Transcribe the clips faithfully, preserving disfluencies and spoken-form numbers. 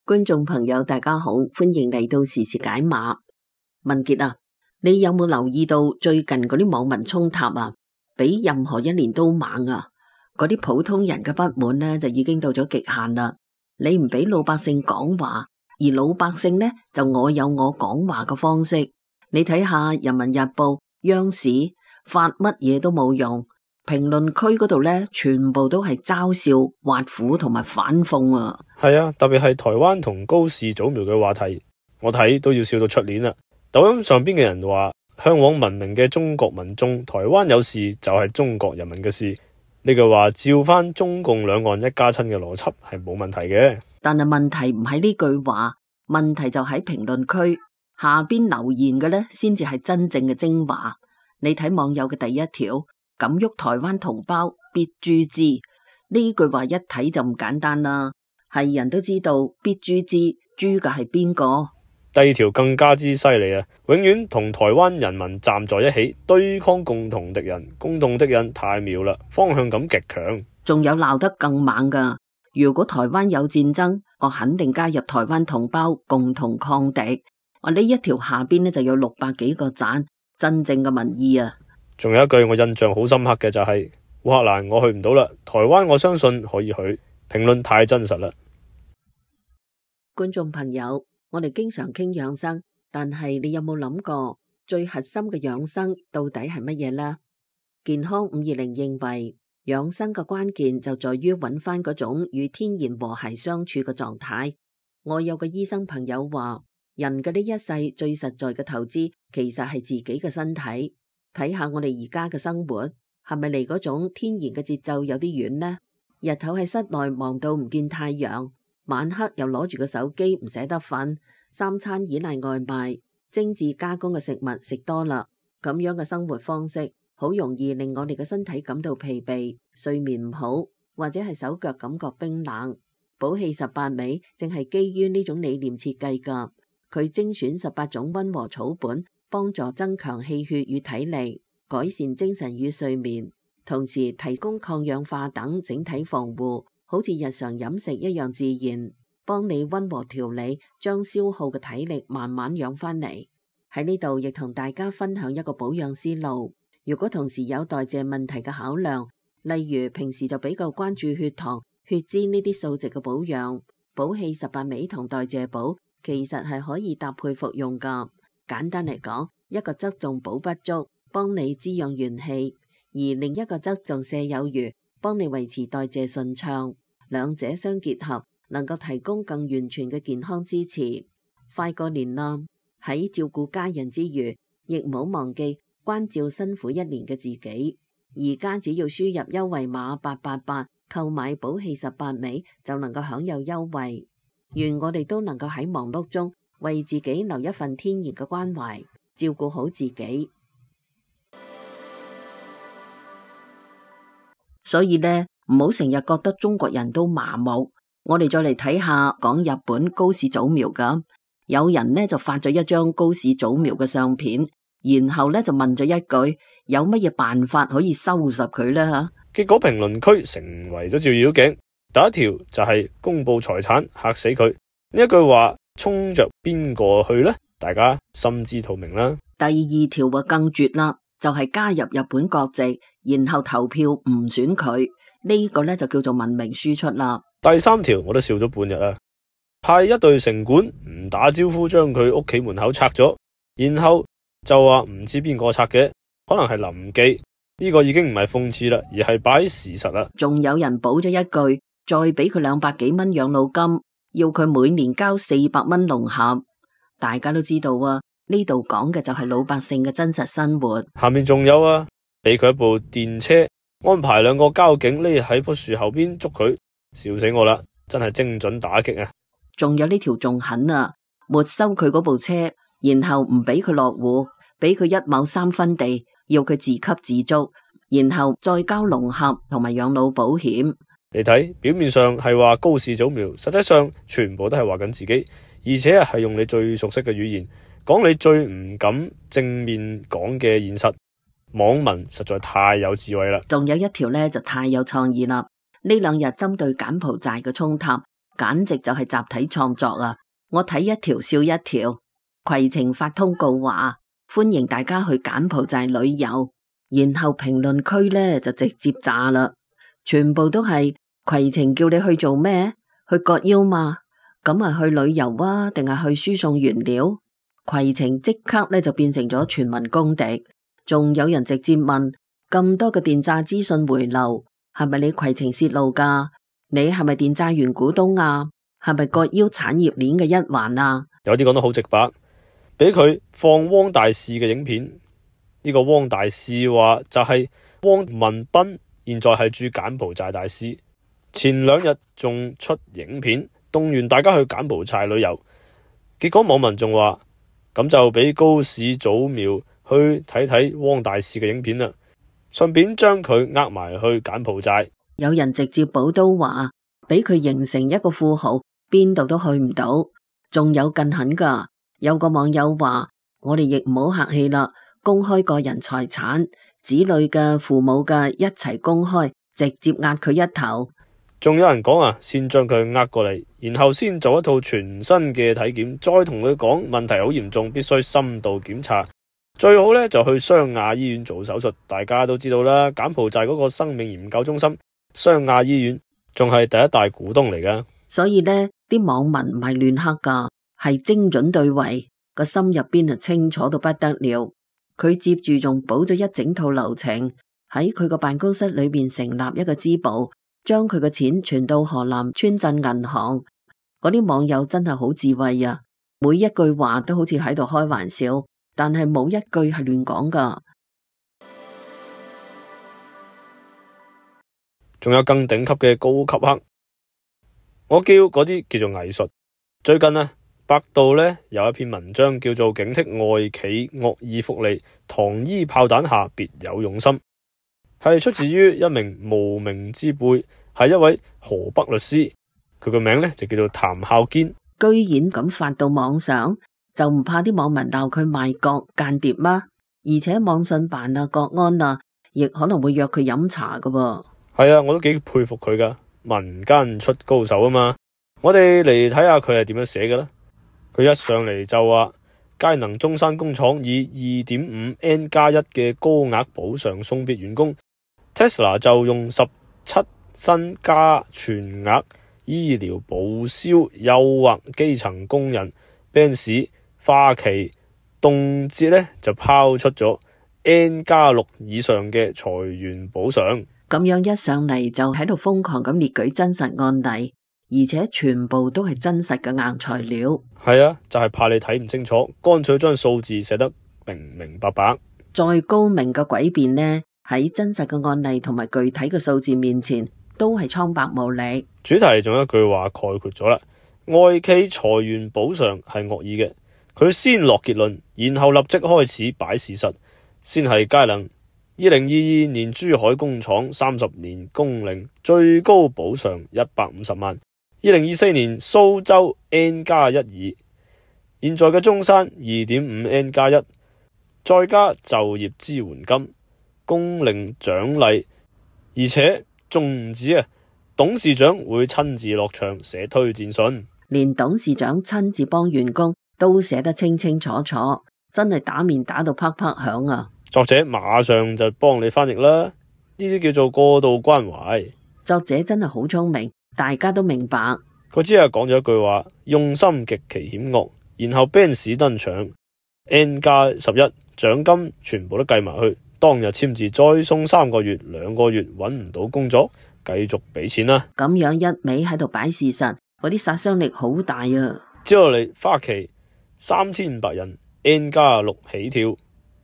觀眾朋友大家好，歡迎嚟到時事解碼。文傑啊，你有冇留意到最近嗰啲網民衝塔啊，比任何一年都猛啊？嗰啲普通人嘅不滿呢，就已經到咗極限啦。你唔俾老百姓講話，而老百姓呢，就我有我講話嘅方式。你睇下《人民日報》、央視發乜嘢都冇用，評論區嗰度呢，全部都係嘲笑、挖苦同埋反諷啊！係啊，特別係台灣同高氏早苗嘅話題，我睇都要笑到出年啦。抖音上邊嘅人話，嚮往文明嘅中國民眾，台灣有事就係中國人民嘅事。呢句話照翻中共兩岸一家親嘅邏輯係冇問題嘅。但係問題唔喺呢句話，問題就喺評論區下邊留言嘅呢，先至係真正嘅精華。你睇網友嘅第一條，敢喐台灣同胞必誅之，呢句話一睇就唔簡單啦，係人都知道必誅之，誅嘅係邊個？第二條更加之犀利啊！永遠同台灣人民站在一起，對抗共同敵人，共同敵人太妙啦，方向感極強。仲有鬧得更猛噶，如果台灣有戰爭，我肯定加入台灣同胞共同抗敵。我呢一條下邊呢就有六百幾個讚，真正嘅民意啊！仲有一句我印象好深刻嘅就係、是、烏克蘭我去唔到啦，台灣我相信可以去。評論太真實啦。觀眾朋友，我哋經常傾養生，但係你有冇諗過最核心嘅養生到底係乜嘢呢？健康五二零認為，養生嘅關鍵就在於揾翻嗰種與天然和諧相處嘅狀態。我有個醫生朋友話，人嘅呢一世最實在嘅投資其實係自己嘅身體。睇下我哋而家嘅生活係咪離嗰種天然嘅節奏有啲遠呢？日頭喺室內忙到唔見太陽，晚黑又攞住個手機唔捨得瞓，三餐依賴外賣，精緻加工嘅食物食多啦，咁樣嘅生活方式好容易令我哋嘅身體感到疲憊，睡眠唔好，或者係手腳感覺冰冷。補氣十八味正係基於呢種理念設計噶，佢精選十八種溫和草本，幫助增強氣血與體力，改善精神與睡眠，同時提供抗氧化等整體防護，好似日常飲食一樣自然，幫你溫和調理，將消耗嘅體力慢慢養翻嚟。喺呢度亦同大家分享一個保養思路。如果同時有代謝問題嘅考量，例如平時就比較關注血糖、血脂呢啲數值嘅保養，補氣十八味同代謝補其實係可以搭配服用噶。簡單嚟講，一個側重補不足，幫你滋養元氣，而另一個側重瀉有餘，幫你維持代謝順暢，兩者相結合，能夠提供更完全嘅健康支持。快過年啦，喺照顧家人之餘，亦唔好忘記關照辛苦一年嘅自己。而家只要輸入優惠碼八八八，購買補氣十八味就能夠享有優惠。願我哋都能夠喺忙碌中為自己留一份天然嘅關懷，照顧好自己。所以呢，唔好成日覺得中國人都麻木。我哋再嚟睇下講日本高市早苗咁，有人呢就發咗一張高市早苗嘅相片，然後呢就問咗一句：有乜嘢辦法可以收拾佢呢？吓，結果評論區成為咗照妖鏡。第一條就係公布財產嚇死佢，呢一句話衝着邊個去呢？大家心知肚明啦。第二條啊更絕啦，就係加入日本國籍，然後投票唔選佢，呢個呢就叫做文明輸出啦。第三條我都笑咗半日啊，派一隊城管唔打招呼將佢屋企門口拆咗，然後就話唔知邊個拆嘅，可能係臨記，呢個已經唔係諷刺啦，而係擺事實啦。仲有人補咗一句，再俾佢兩百幾蚊養老金，要佢每年交四百蚊籠盒。大家都知道啊，呢度講嘅就係老百姓嘅真實生活。下面仲有啊，俾佢一部電車，安排兩個交警匿喺棵樹後邊捉佢，笑死我啦！真係精準打擊啊！仲有呢條仲狠啊，沒收佢嗰部車，然後唔俾佢落戶，俾佢一畝三分地，要佢自給自足，然後再交籠盒同埋養老保險。你睇表面上係話高市早苗，實際上全部都係話緊自己，而且係用你最熟悉嘅語言講你最唔敢正面講嘅現實。網民實在太有智慧啦！仲有一條呢就太有創意啦，呢兩日針對柬埔寨嘅衝突，簡直就係集體創作啊！我睇一條笑一條。攜程發通告話歡迎大家去柬埔寨旅遊，然後評論區呢就直接炸啦，全部都係攜程叫你去做咩？去割腰嘛？咁啊去旅遊啊，定係去輸送原料？攜程即刻呢就變成咗全民公敵，仲有人直接問咁多嘅電詐資訊回流，係咪你攜程洩露噶？你係咪電詐員股東啊？係咪割腰產業鏈嘅一環啊？有啲講得好直白，俾佢放汪大使嘅影片，呢、這個汪大使話就係汪文斌，現在係駐柬埔寨大使，前兩日仲出影片動員大家去柬埔寨旅遊，結果網民仲話咁就俾高市早苗去睇睇汪大使嘅影片啦，順便將佢呃埋去柬埔寨。有人直接補刀話俾佢形成一個富豪，邊度都去唔到。仲有更狠噶，有個網友話我哋亦唔好客氣啦，公開個人財產，子女嘅、父母嘅一齊公開，直接壓佢一頭。仲有人講啊，先將佢呃過嚟，然後先做一套全新嘅體檢，再同佢講問題好嚴重，必須深度檢查，最好呢就去湘亞醫院做手術。大家都知道啦，柬埔寨嗰個生命研究中心湘亞醫院仲係第一大股東嚟噶，所以呢啲網民唔係亂黑噶，係精準對位，個心入邊啊清楚到不得了。佢接住仲補咗一整套流程，喺佢個辦公室裏邊成立一個支部，將佢嘅錢存到河南村鎮銀行。嗰啲網友真係好智慧啊，每一句話都好似喺度開玩笑，但係冇一句係亂講噶。仲有更頂級嘅高級黑，我叫嗰啲叫做藝術。最近呢，百度呢有一篇文章叫做警惕外企惡意福利，糖衣炮彈下別有用心，係出自於一名無名之輩，係一位河北律師，佢個名呢就叫做譚孝堅。居然咁發到網上，就唔怕啲網民鬧佢賣國間諜嗎？而且網信辦啊、國安啊，亦可能會約佢飲茶噶噃。係啊，我都幾佩服佢噶，民間出高手啊嘛。我哋嚟睇下佢係點樣寫嘅啦。佢一上嚟就話，佳能中山工廠以二點五 N 加一嘅高額補償送別員工 ，Tesla 就用十七新加全額醫療報銷誘惑基層工人 ，Benz 花旗動輒呢就拋出咗 N 加六以上嘅裁員補償。咁樣一上嚟就喺度瘋狂咁列舉真實案例，而且全部都係真實嘅硬材料。係啊，就係、是、怕你睇唔清楚，乾脆將數字寫得明明白白。再高明嘅詭辯呢，喺真實嘅案例同埋具體嘅數字面前，都係蒼白無力。主題仲有一句話概括咗啦，外企裁員補償係惡意嘅，佢先落結論，然後立即開始擺事實，先係佳能。二零二二年珠海工廠三十年工齡最高補償一百五十萬。二零二四年蘇州 N 加一二，現在嘅中山二點五 N 加一，再加就業支援金、工齡獎勵，而且仲唔止啊！董事長會親自落場寫推薦信，連董事長親自幫員工都寫得清清楚楚，真係打面打到啪啪響啊！作者馬上就幫你翻譯啦，呢啲叫做過度關懷。作者真係好聰明，大家都明白。佢只係講咗一句話，用心極其險惡，然後 Benz 登場 N 加十一獎金全部都計埋去，當日簽字再送三個月，兩個月揾唔到工作，繼續俾錢啦。咁樣一味喺度擺事實，嗰啲殺傷力好大啊！接落嚟花旗三千五百人 N 加六起跳。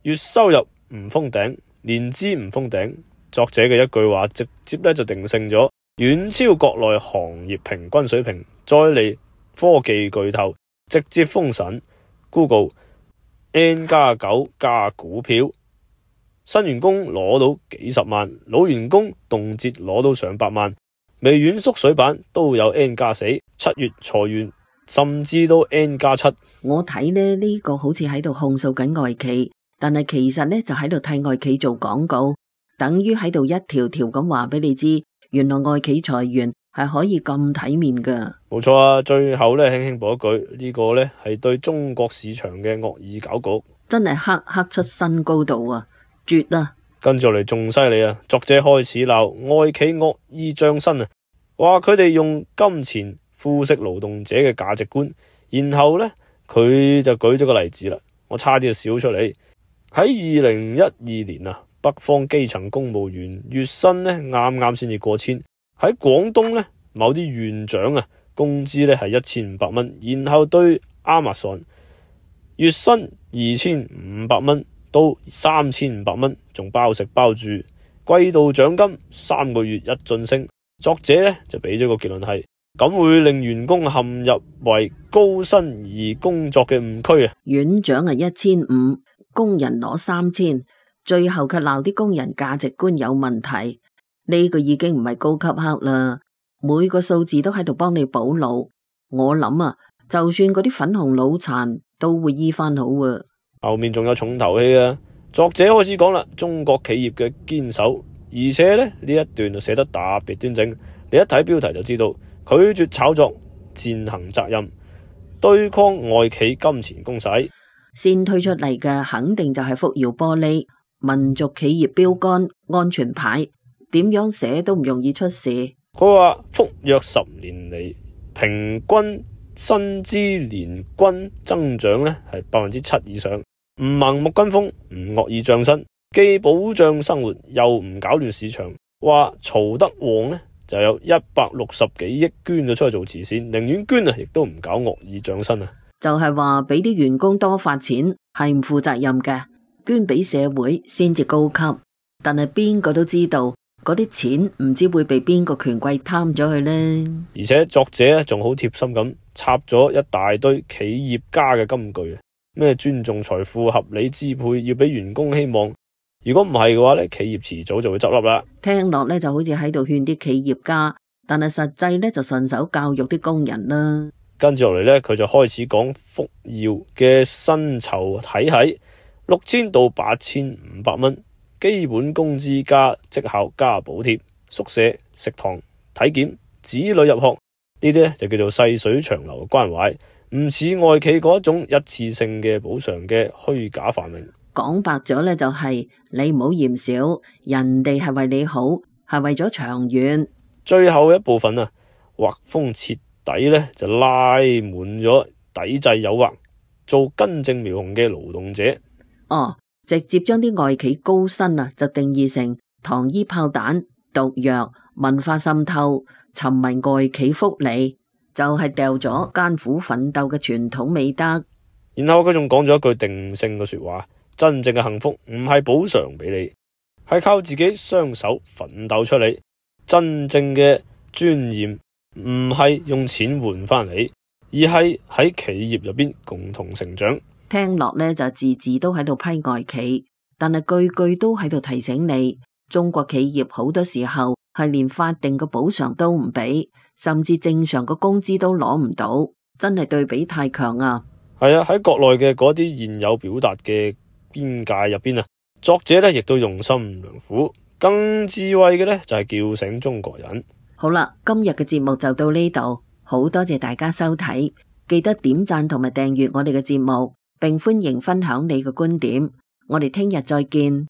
月收入唔封頂，年資唔封頂，作者嘅一句話直接咧就定性咗，遠超國內行業平均水平。再嚟科技巨頭直接封神 ，Google N 加九加股票，新員工攞到幾十萬，老員工動輒攞到上百萬。微軟縮水版都有 N 加四，七月裁員甚至都 N 加七。我睇呢呢、呢個好似喺度控訴緊外企。但係其實呢，就喺度替外企做廣告，等於喺度一條條咁話俾你知，原來外企裁員係可以咁體面噶。冇錯啊，最後咧輕輕補一句，呢個咧係對中國市場嘅惡意搞局，真係黑黑出新高度啊，絕啊！跟住落嚟仲犀利啊，作者開始鬧外企惡意漲薪啊，話佢哋用金錢腐蝕勞動者嘅價值觀，然後咧佢就舉咗個例子啦，我差啲就笑出嚟。喺二零一二年啊，北方基層公務員月薪咧啱啱先至過千，喺廣東咧某啲縣長啊工資咧係一千五百蚊，然後對 Amazon 月薪二千五百蚊到三千五百蚊，仲包食包住，季度獎金三個月一晉升。作者咧就俾咗個結論係，咁會令員工陷入為高薪而工作嘅誤區啊。院長係一千五，工人攞三千，最後卻鬧啲工人價值觀有問題。呢個已經唔係高級黑啦，每個數字都喺度幫你補腦。我諗啊，就算嗰啲粉紅腦殘都會醫翻好啊。後面仲有重頭戲啊！作者開始講啦，中國企業嘅堅守，而且咧呢一段就寫得特別端正。你一睇標題就知道，拒絕炒作，踐行責任，對抗外企金錢攻勢。先推出嚟嘅肯定就係福耀玻璃、民族企業標杆、安全牌，點樣寫都唔容易出事。佢話福約十年嚟平均薪資年均增長咧係百分之七以上，唔盲目跟風，唔惡意漲薪，既保障生活又唔搞亂市場。話曹德旺咧就有一百六十幾億捐咗出去做慈善，寧願捐啊，亦都唔搞惡意漲薪啊。就係話俾啲員工多發錢係唔負責任嘅，捐俾社會先至高級。但係邊個都知道嗰啲錢唔知會被邊個權貴貪咗去呢？而且作者仲好貼心咁插咗一大堆企業家嘅金句，咩尊重財富、合理支配，要俾員工希望。如果唔係嘅話咧，企業遲早就會執笠啦。聽落咧就好似喺度勸啲企業家，但係實際咧就順手教育啲工人啦。跟住落嚟咧，佢就開始講福耀嘅薪酬體系，六千到八千五百蚊，基本工資加績效加補貼，宿舍、食堂、體檢、子女入學，呢啲咧就叫做細水長流嘅關懷，唔似外企嗰一種一次性嘅補償嘅虛假繁榮。講白咗咧就係你唔好嫌少，人哋係為你好，係為咗長遠。最後一部分啊，畫風徹底咧就拉滿咗抵制誘惑，做根正苗紅嘅勞動者。哦，直接將啲外企高薪啊就定義成糖衣炮彈、毒藥、文化滲透、沉迷外企福利，就係掉咗艱苦奮鬥嘅傳統美德。然後佢仲講咗一句定性嘅說話。真正嘅幸福唔係補償俾你，係靠自己雙手奮鬥出嚟。真正嘅尊嚴唔係用錢換翻嚟，而係喺企業入邊共同成長。聽落呢就字字都喺度批外企，但係句句都喺度提醒你，中國企業好多時候係連法定嘅補償都唔俾，甚至正常嘅工資都攞唔到，真係對比太強啊！係啊，喺國內嘅嗰啲現有表達嘅邊界入邊啊，作者咧亦都用心良苦，更智慧嘅咧就係叫醒中國人。好啦，今日嘅節目就到呢度，好多謝大家收睇，記得點讚同埋訂閱我哋嘅節目，並歡迎分享你嘅觀點。我哋聽日再見。